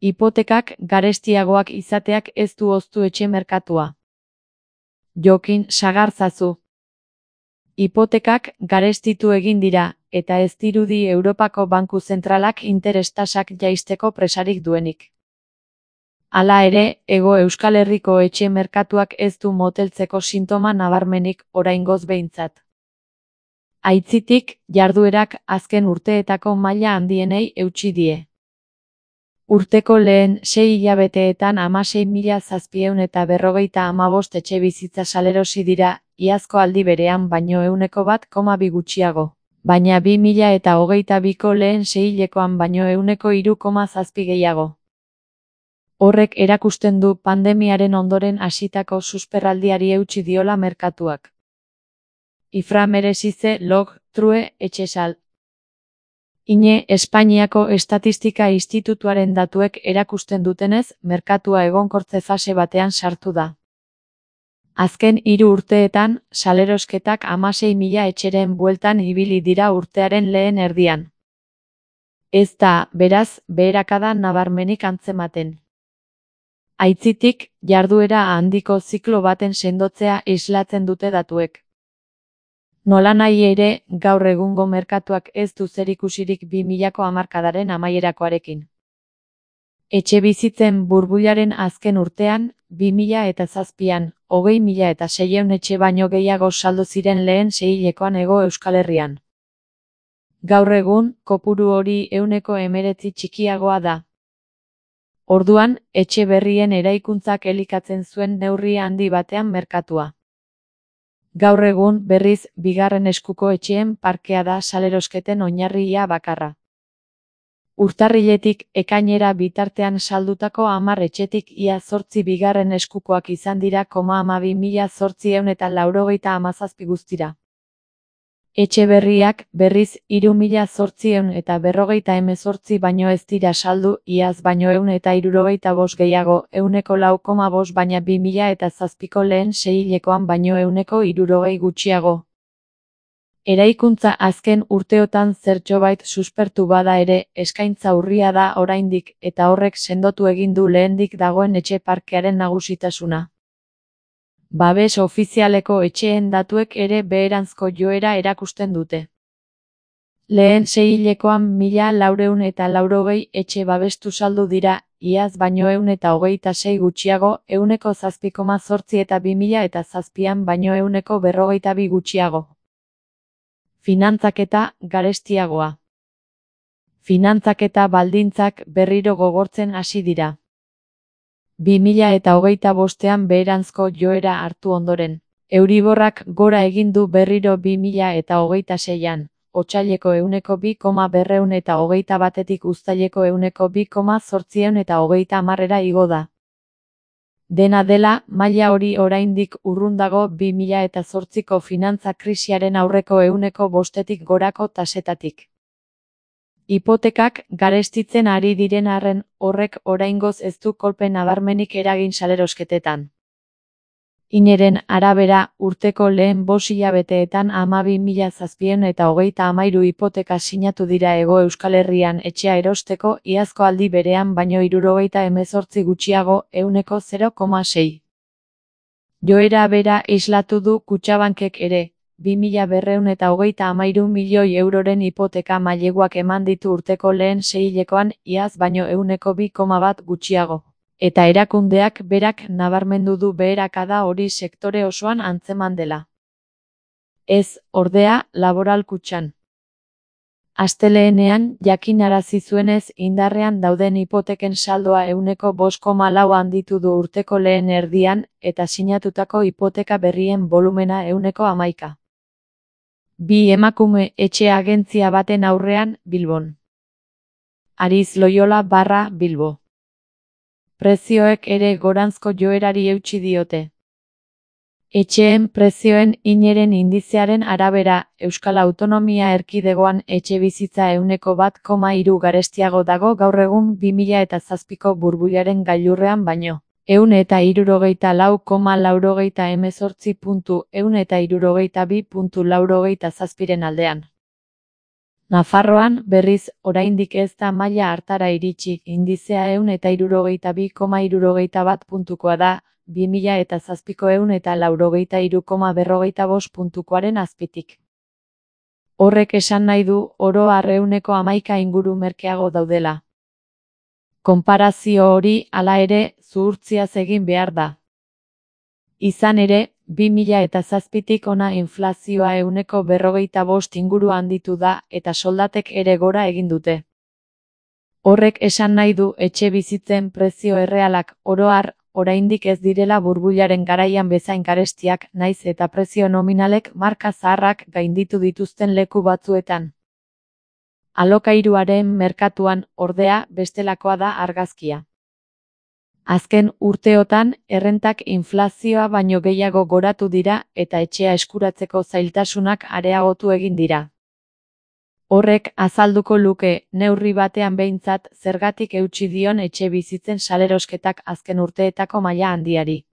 Hipotekak garestiagoak izateak ez du hoztu etxe merkatua. Jokin Sagarzazu. Hipotekak garestitu egin dira, eta ez dirudi Europako Banku Zentralak interes tasak jaisteko presarik duenik. Hala ere, Hego Euskal Herriko etxe merkatuak ez du moteltzeko sintoma nabarmenik oraingoz behintzat. Aitzitik, jarduerak azken urteetako maila handienei eutsi die. Urteko lehen 6 hilabeteetan 16.755 etxebizitza salerosi dira, iazko aldi berean baino 1,2 gutxiago, baina 2022ko lehen seihilekoan baino 3,7 gehiago. Horrek erakusten du pandemiaren ondoren hasitako susperraldiari eutsi diola merkatuak. Ifra meresize log, true, etxesal. Ine Espainiako Estatistika Institutuaren datuek erakusten dutenez, merkatua egonkortze fase batean sartu da. Azken 3 urteetan, salerosketak 16.000 etxeren bueltan ibili dira urtearen lehen erdian. Ez da, beraz, beherakada nabarmenik antzematen. Aitzitik, jarduera handiko ziklo baten sendotzea islatzen dute datuek. Nolanahi ere, gaur egungo merkatuak ez du zerikusirik 2000ko hamarkadaren amaierakoarekin. Etxebizitzen burbularen azken urtean, 2007an, 20.600 etxe baino gehiago saldu ziren lehen seihilekoan Hego Euskal Herrian. Gaur egun, kopuru hori 19% txikiagoa da. Orduan, etxe berrien eraikuntzak elikatzen zuen neurri handi batean merkatua. Gaur egun, berriz, bigarren eskuko etxeen parkea da salerosketen oinarria bakarra. Urtarriletik ekainera bitartean saldutako 10 etxetik ia 8 bigarren eskukoak izan dira 12.897 guztira. Etxe berriak, berriz, 3.858 baino ez dira saldu, iaz baino 175 gehiago, 4,5 baina 2007ko lehen seihilekoan baino 160 gutxiago. Eraikuntza azken urteotan zertxobait suspertu bada ere, eskaintza urria da oraindik, eta horrek sendotu egin du lehendik dagoen etxe parkearen nagusitasuna. Babes ofizialeko etxeen datuek ere beheranzko joera erakusten dute. Lehen seihilekoan 1.480 etxe babestu saldu dira, iaz baino 126 gutxiago, 7,8 eta 2007an baino 142 gutxiago. Finantzaketa garestiagoa. Finantzaketa baldintzak berriro gogortzen hasi dira. 2025an beheranzko joera hartu ondoren. Euriborrak gora egin du berriro 2026an, otsaileko 2,221etik uztaileko 2,830 igo da. Dena dela, maila hori oraindik urrun dago 2008ko finantza krisiaren aurreko 5%tik gorako tasetatik. Hipotekak garestitzen ari diren arren, horrek oraingoz ez du kolpe nabarmenik eragin salerosketetan. Ineren arabera, urteko lehen 5 hilabeteetan 12.733 hipoteka sinatu dira Hego Euskal Herrian etxea erosteko, iazko aldi berean baino 78 gutxiago, 0,6. Joera bera islatu du Kutxabankek ere. 2.233 milioi euroren hipoteka maileguak eman ditu urteko lehen seihilekoan, iaz baino 2,1 gutxiago. Eta erakundeak berak nabarmendu du beherakada hori sektore osoan antzeman dela. Ez, ordea, Laboral Kutxan. Astelehenean, jakinarazi zuenez indarrean dauden hipoteken saldoa 5,4 handitu du urteko lehen erdian, eta sinatutako hipoteka berrien volumena 11. Bi emakume etxe agentzia baten aurrean, Bilbon. Ariz Loyola / Bilbo. Prezioek ere goranzko joerari eutsi diote. Etxeen prezioen ineren indizearen arabera, Euskal Autonomia Erkidegoan etxebizitza 1,3 garestiago dago gaur egun 2007ko burbularen gailurrean baino. 164,98 puntu, 162,87 aldean. Nafarroan, berriz, oraindik ez da maila hartara iritsi, indizea 162,61 puntukoa da, 2007ko 183,45 puntukoaren azpitik. Horrek esan nahi du, oro har 11 inguru merkeago daudela. Konparazio hori, hala ere, zuhurtziaz egin behar da. Izan ere, 2007tik hona inflazioa 45 inguru handitu da eta soldatek ere gora egin dute. Horrek esan nahi du etxe bizitzen prezio errealak oro har, oraindik ez direla burbularen garaian bezain garestiak, naiz eta prezio nominalek marka zaharrak gainditu dituzten leku batzuetan. Alokairuaren merkatuan, ordea, bestelakoa da argazkia. Azken urteotan, errentak inflazioa baino gehiago goratu dira eta etxea eskuratzeko zailtasunak areagotu egin dira. Horrek azalduko luke, neurri batean behintzat, zergatik eutsi dion etxe bizitzen salerosketak azken urteetako maila handiari.